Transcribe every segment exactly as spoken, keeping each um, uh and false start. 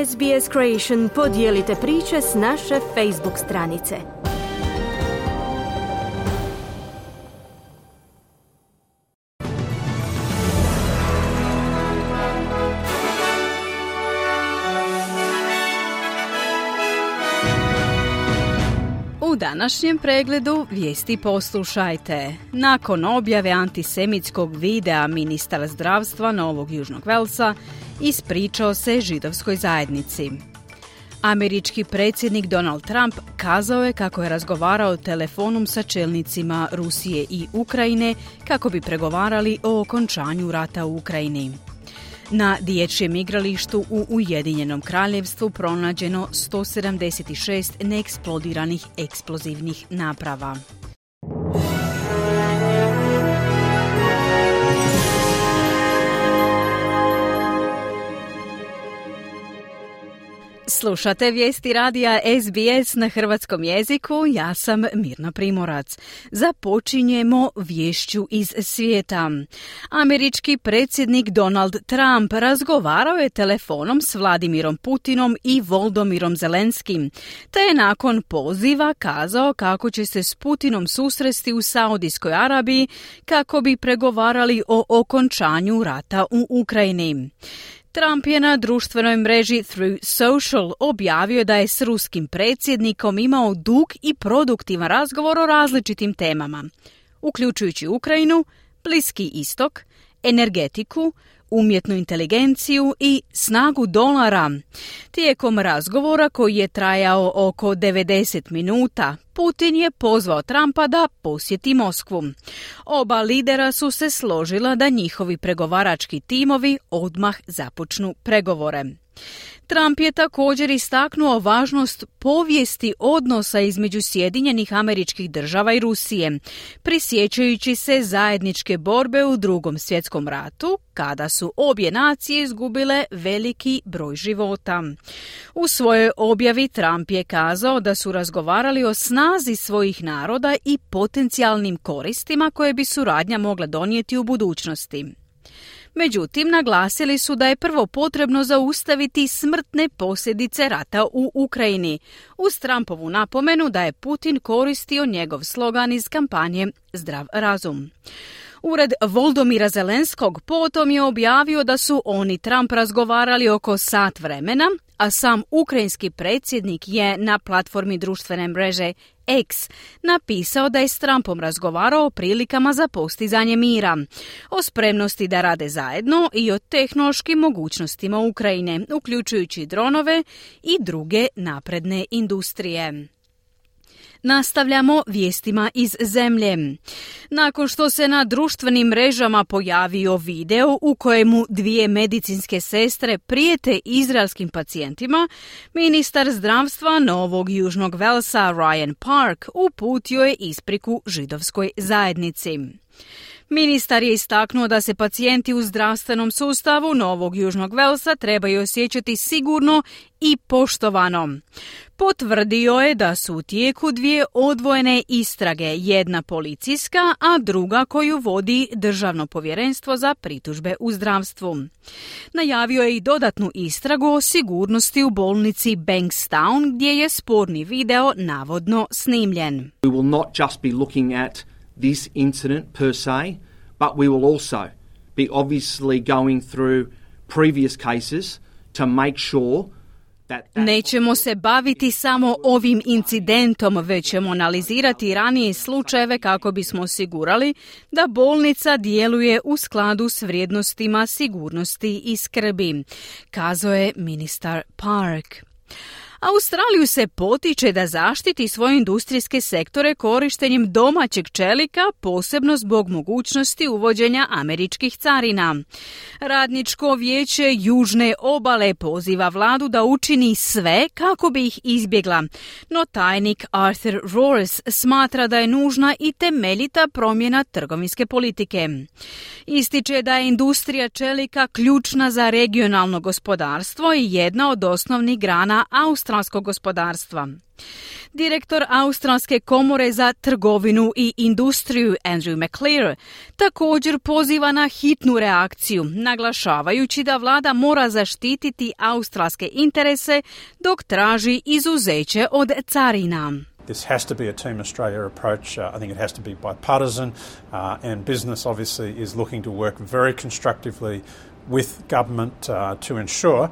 S B S Creation podijelite priče s naše Facebook stranice. U današnjem pregledu vijesti poslušajte. Nakon objave antisemitskog videa ministar zdravstva Novog Južnog Velsa ispričao se židovskoj zajednici. Američki predsjednik Donald Trump kazao je kako je razgovarao telefonom sa čelnicima Rusije i Ukrajine kako bi pregovarali o okončanju rata u Ukrajini. Na dječjem igralištu u Ujedinjenom Kraljevstvu pronađeno sto sedamdeset šest neeksplodiranih eksplozivnih naprava. Slušate vijesti radija S B S na hrvatskom jeziku, ja sam Mirna Primorac. Započinjemo viješću iz svijeta. Američki predsjednik Donald Trump razgovarao je telefonom s Vladimirom Putinom i Volodymyrom Zelenskim, te je nakon poziva kazao kako će se s Putinom susresti u Saudijskoj Arabiji kako bi pregovarali o okončanju rata u Ukrajini. Trump je na društvenoj mreži Truth Social objavio da je s ruskim predsjednikom imao dug i produktivan razgovor o različitim temama, uključujući Ukrajinu, Bliski istok, energetiku, umjetnu inteligenciju i snagu dolara. Tijekom razgovora koji je trajao oko devedeset minuta, Putin je pozvao Trumpa da posjeti Moskvu. Oba lidera su se složila da njihovi pregovarački timovi odmah započnu pregovore. Trump je također istaknuo važnost povijesti odnosa između Sjedinjenih Američkih Država i Rusije, prisjećajući se zajedničke borbe u Drugom svjetskom ratu, kada su obje nacije izgubile veliki broj života. U svojoj objavi Trump je kazao da su razgovarali o snazi svojih naroda i potencijalnim koristima koje bi suradnja mogla donijeti u budućnosti. Međutim, naglasili su da je prvo potrebno zaustaviti smrtne posljedice rata u Ukrajini, uz Trumpovu napomenu da je Putin koristio njegov slogan iz kampanje Zdrav razum. Ured Volodymyra Zelenskog potom je objavio da su on i Trump razgovarali oko sat vremena, a sam ukrajinski predsjednik je na platformi društvene mreže X napisao da je s Trumpom razgovarao o prilikama za postizanje mira, o spremnosti da rade zajedno i o tehnološkim mogućnostima Ukrajine, uključujući dronove i druge napredne industrije. Nastavljamo vijestima iz zemlje. Nakon što se na društvenim mrežama pojavio video u kojemu dvije medicinske sestre prijete izraelskim pacijentima, ministar zdravstva Novog Južnog Velsa Ryan Park uputio je ispriku židovskoj zajednici. Ministar je istaknuo da se pacijenti u zdravstvenom sustavu Novog Južnog Velsa trebaju osjećati sigurno i poštovano. Potvrdio je da su u tijeku dvije odvojene istrage, jedna policijska, a druga koju vodi Državno povjerenstvo za pritužbe u zdravstvu. Najavio je i dodatnu istragu o sigurnosti u bolnici Bankstown, gdje je sporni video navodno snimljen. We will not just be looking at this incident per se, but we will also be obviously going through previous cases to make sure that that... Nećemo se baviti samo ovim incidentom, već ćemo analizirati ranije slučajeve kako bismo osigurali da bolnica djeluje u skladu s vrijednostima sigurnosti i skrbi, kazao je ministar Park. Australiju se potiče da zaštiti svoje industrijske sektore korištenjem domaćeg čelika, posebno zbog mogućnosti uvođenja američkih carina. Radničko vijeće Južne obale poziva vladu da učini sve kako bi ih izbjegla, no tajnik Arthur Roars smatra da je nužna i temeljita promjena trgovinske politike. Ističe da je industrija čelika ključna za regionalno gospodarstvo i jedna od osnovnih grana australskog australskog gospodarstva. Direktor Australske komore za trgovinu i industriju Andrew McClear također poziva na hitnu reakciju, naglašavajući da vlada mora zaštititi australske interese dok traži izuzeće od carina. This has to be a Team Australia approach. Uh, I think it has to be bipartisan, uh, and business obviously is looking to work very constructively with government uh, to ensure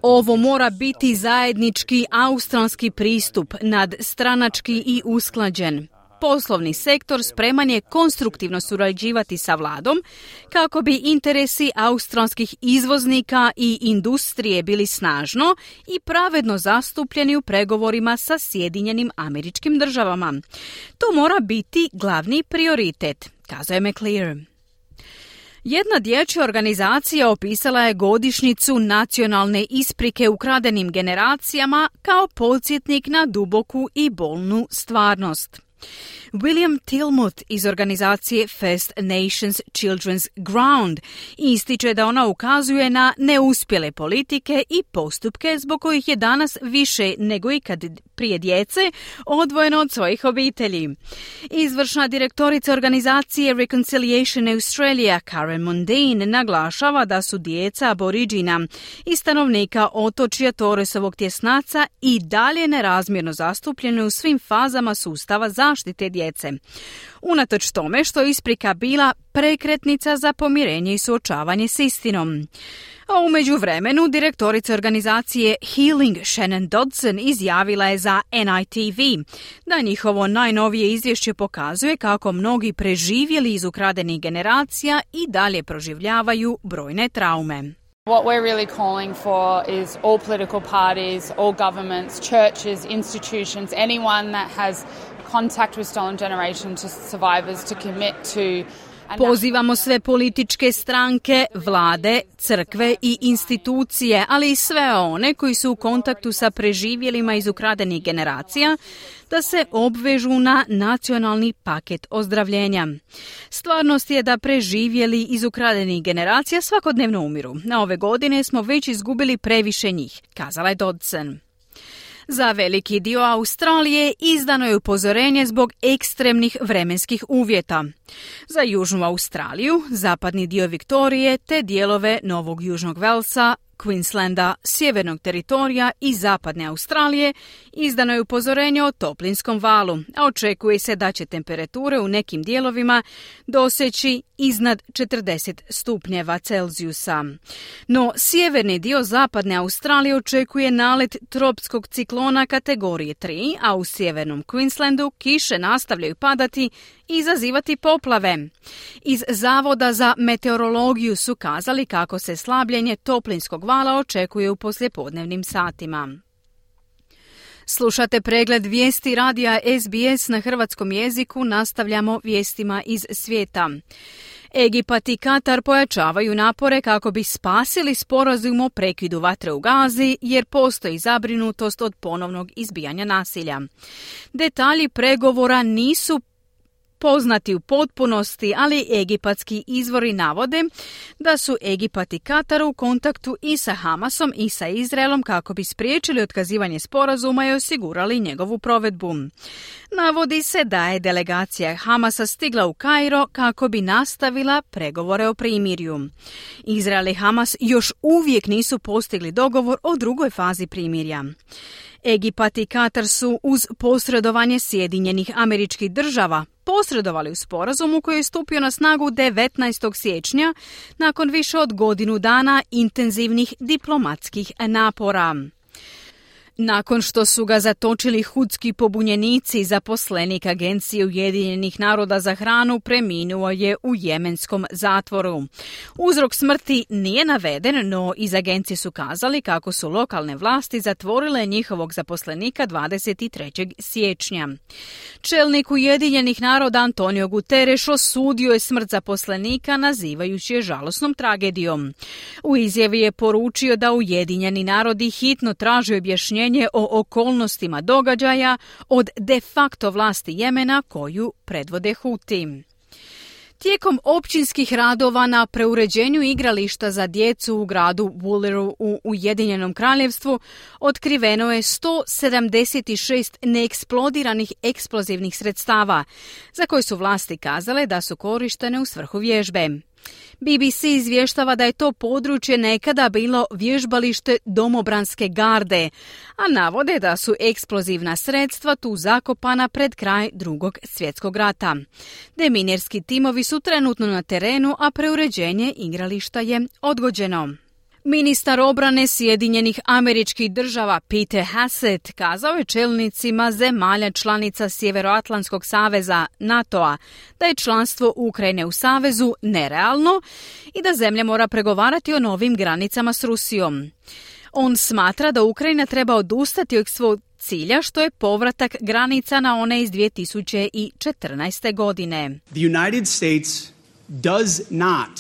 Ovo mora biti zajednički australski pristup, nadstranački i usklađen. Poslovni sektor spreman je konstruktivno surađivati sa vladom kako bi interesi australskih izvoznika i industrije bili snažno i pravedno zastupljeni u pregovorima sa Sjedinjenim Američkim Državama. To mora biti glavni prioritet, kazao je McClear. Jedna dječja organizacija opisala je godišnjicu nacionalne isprike ukradenim generacijama kao podsjetnik na duboku i bolnu stvarnost. William Tilmuth iz organizacije First Nations Children's Ground ističe da ona ukazuje na neuspjele politike i postupke zbog kojih je danas više nego ikad prije djece odvojeno od svojih obitelji. Izvršna direktorica organizacije Reconciliation Australia Karen Mundine naglašava da su djeca aboriđina i stanovnika otočja Torresovog tjesnaca i dalje nerazmjerno zastupljene u svim fazama sustava zaštite djece. Unatoč tome što je isprika bila prekretnica za pomirenje i suočavanje s istinom. A u međuvremenu direktorica organizacije Healing Shannon Dodson izjavila je za N I T V da njihovo najnovije izvješće pokazuje kako mnogi preživjeli iz ukradenih generacija i dalje proživljavaju brojne traume. What we're really calling for is all political parties, all governments, churches, institutions, anyone that has contact with stolen generation to survivors to commit to. Pozivamo sve političke stranke, vlade, crkve i institucije, ali i sve one koji su u kontaktu sa preživjelima iz ukradenih generacija, da se obvežu na nacionalni paket ozdravljenja. Stvarnost je da preživjeli iz ukradenih generacija svakodnevno umiru. Na ove godine smo već izgubili previše njih, kazala je Dodson. Za veliki dio Australije izdano je upozorenje zbog ekstremnih vremenskih uvjeta. Za Južnu Australiju, zapadni dio Viktorije te dijelove Novog Južnog Velsa, Queenslanda, Sjevernog teritorija i Zapadne Australije izdano je upozorenje o toplinskom valu, a očekuje se da će temperature u nekim dijelovima doseći iznad četrdeset stupnjeva Celzijusa. No, sjeverni dio Zapadne Australije očekuje nalet tropskog ciklona kategorije tri, a u sjevernom Queenslandu kiše nastavljaju padati i izazivati poplave. Iz Zavoda za meteorologiju su kazali kako se slabljenje toplinskog vala očekuje u poslijepodnevnim satima. Slušate pregled vijesti radija S B S na hrvatskom jeziku, nastavljamo vijestima iz svijeta. Egipat i Katar pojačavaju napore kako bi spasili sporazum o prekidu vatre u Gazi, jer postoji zabrinutost od ponovnog izbijanja nasilja. Detalji pregovora nisu poznati u potpunosti, ali egipatski izvori navode da su Egipat i Katar u kontaktu i sa Hamasom i sa Izraelom kako bi spriječili otkazivanje sporazuma i osigurali njegovu provedbu. Navodi se da je delegacija Hamasa stigla u Kairo kako bi nastavila pregovore o primirju. Izrael i Hamas još uvijek nisu postigli dogovor o drugoj fazi primirja. Egipat i Katar su uz posredovanje Sjedinjenih Američkih Država posredovali u sporazumu koji je stupio na snagu devetnaestog siječnja nakon više od godinu dana intenzivnih diplomatskih napora. Nakon što su ga zatočili hudski pobunjenici, zaposlenik Agencije Ujedinjenih naroda za hranu preminuo je u jemenskom zatvoru. Uzrok smrti nije naveden, no iz agencije su kazali kako su lokalne vlasti zatvorile njihovog zaposlenika dvadeset trećeg siječnja. Čelnik Ujedinjenih naroda Antonio Guterres osudio je smrt zaposlenika, nazivajući je žalosnom tragedijom. U izjavi je poručio da Ujedinjeni narodi hitno traže objašnjenje o okolnostima događaja od de facto vlasti Jemena koju predvode Huti. Tijekom općinskih radova na preuređenju igrališta za djecu u gradu Wooleru u Ujedinjenom kraljevstvu otkriveno je sto sedamdeset šest neeksplodiranih eksplozivnih sredstava, za koje su vlasti kazale da su korištene u svrhu vježbe. B B C izvještava da je to područje nekada bilo vježbalište domobranske garde, a navode da su eksplozivna sredstva tu zakopana pred kraj Drugog svjetskog rata. Deminirski timovi su trenutno na terenu, a preuređenje igrališta je odgođeno. Ministar obrane Sjedinjenih Američkih Država Pete Hegseth kazao je čelnicima zemalja članica Sjeveroatlantskog saveza NATO-a da je članstvo Ukrajine u savezu nerealno i da zemlja mora pregovarati o novim granicama s Rusijom. On smatra da Ukrajina treba odustati od svog cilja, što je povratak granica na one iz dvije tisuće četrnaeste. godine. The United States does not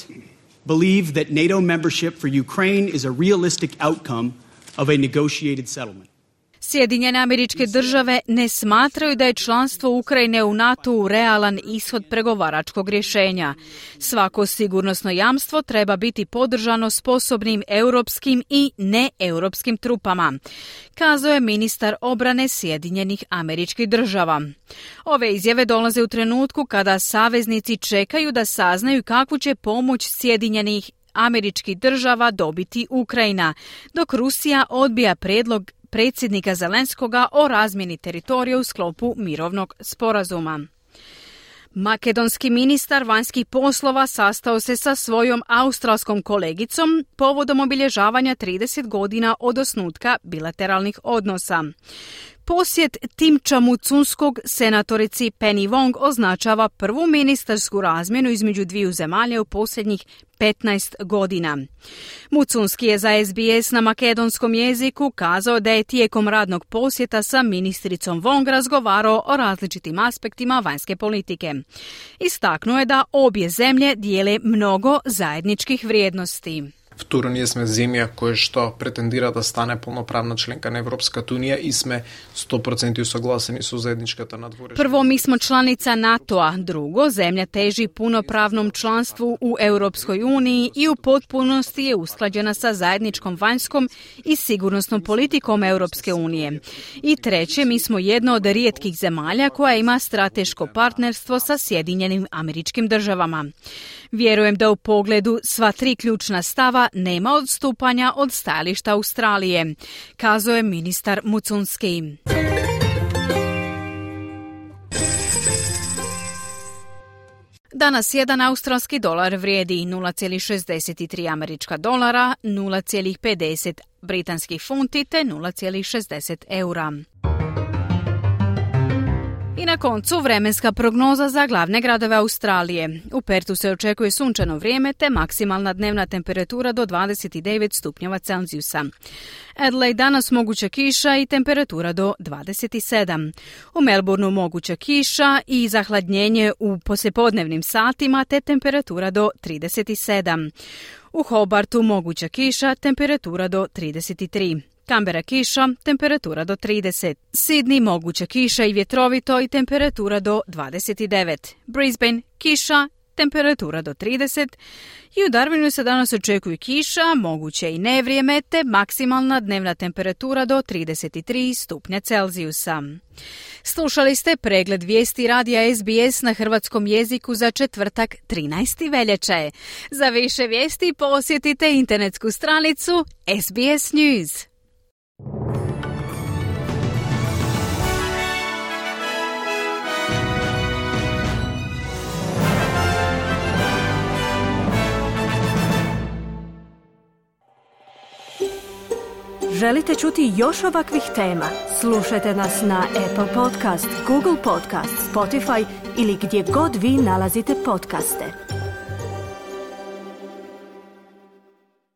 believe that NATO membership for Ukraine is a realistic outcome of a negotiated settlement. Sjedinjene Američke Države ne smatraju da je članstvo Ukrajine u NATO-u realan ishod pregovaračkog rješenja. Svako sigurnosno jamstvo treba biti podržano sposobnim europskim i neeuropskim trupama, kazao je ministar obrane Sjedinjenih Američkih Država. Ove izjave dolaze u trenutku kada saveznici čekaju da saznaju kakvu će pomoć Sjedinjenih Američkih Država dobiti Ukrajina, dok Rusija odbija prijedlog predsjednika Zelenskoga o razmjeni teritorija u sklopu mirovnog sporazuma. Makedonski ministar vanjskih poslova sastao se sa svojom australskom kolegicom povodom obilježavanja trideset godina od osnutka bilateralnih odnosa. Posjet Timča Mucunskog senatorici Penny Wong označava prvu ministarsku razmjenu između dviju zemalja u posljednjih petnaest godina. Mucunski je za S B S na makedonskom jeziku kazao da je tijekom radnog posjeta sa ministricom Wong razgovarao o različitim aspektima vanjske politike. Istaknuo je da obje zemlje dijele mnogo zajedničkih vrijednosti. Второ, ние сме земја која што претендира да стане полноправна членка на Европската унија и сме сто проценти усагласени со заедничката надворешна. Prvo, mi smo članica NATO-a. Drugo, zemlja teži punopravnom članstvu u Europskoj uniji i u potpunosti je usklađena sa zajedničkom vanjskom i sigurnosnom politikom Europske unije. I treće, mi smo jedna od rijetkih zemalja koja ima strateško partnerstvo sa Sjedinjenim Američkim Državama. Vjerujem da u pogledu sva tri ključna stava nema odstupanja od stajališta Australije, kazao je ministar Mucunski. Danas jedan australski dolar vrijedi nula zarez šezdeset tri američka dolara, nula zarez pedeset britanskih funti te nula zarez šezdeset eura. I na koncu vremenska prognoza za glavne gradove Australije. U Pertu se očekuje sunčano vrijeme te maksimalna dnevna temperatura do dvadeset devet stupnjeva Celzijusa. Adelaide danas moguća kiša i temperatura do dvadeset sedam. U Melbourneu moguća kiša i zahladnjenje u poslijepodnevnim satima te temperatura do trideset sedam. U Hobartu moguća kiša, temperatura do trideset tri. Canberra kiša, temperatura do trideset. Sydney moguća kiša i vjetrovito i temperatura do dvadeset devet. Brisbane kiša, temperatura do trideset. I u Darwinu se danas očekuje kiša, moguće i nevrijeme te maksimalna dnevna temperatura do trideset tri stupnja Celzijusa. Slušali ste pregled vijesti radija S B S na hrvatskom jeziku za četvrtak trinaesti veljače. Za više vijesti posjetite internetsku stranicu S B S News. Želite čuti još ovakvih tema? Slušajte nas na Apple Podcast, Google Podcast, Spotify ili gdje god vi nalazite podcaste.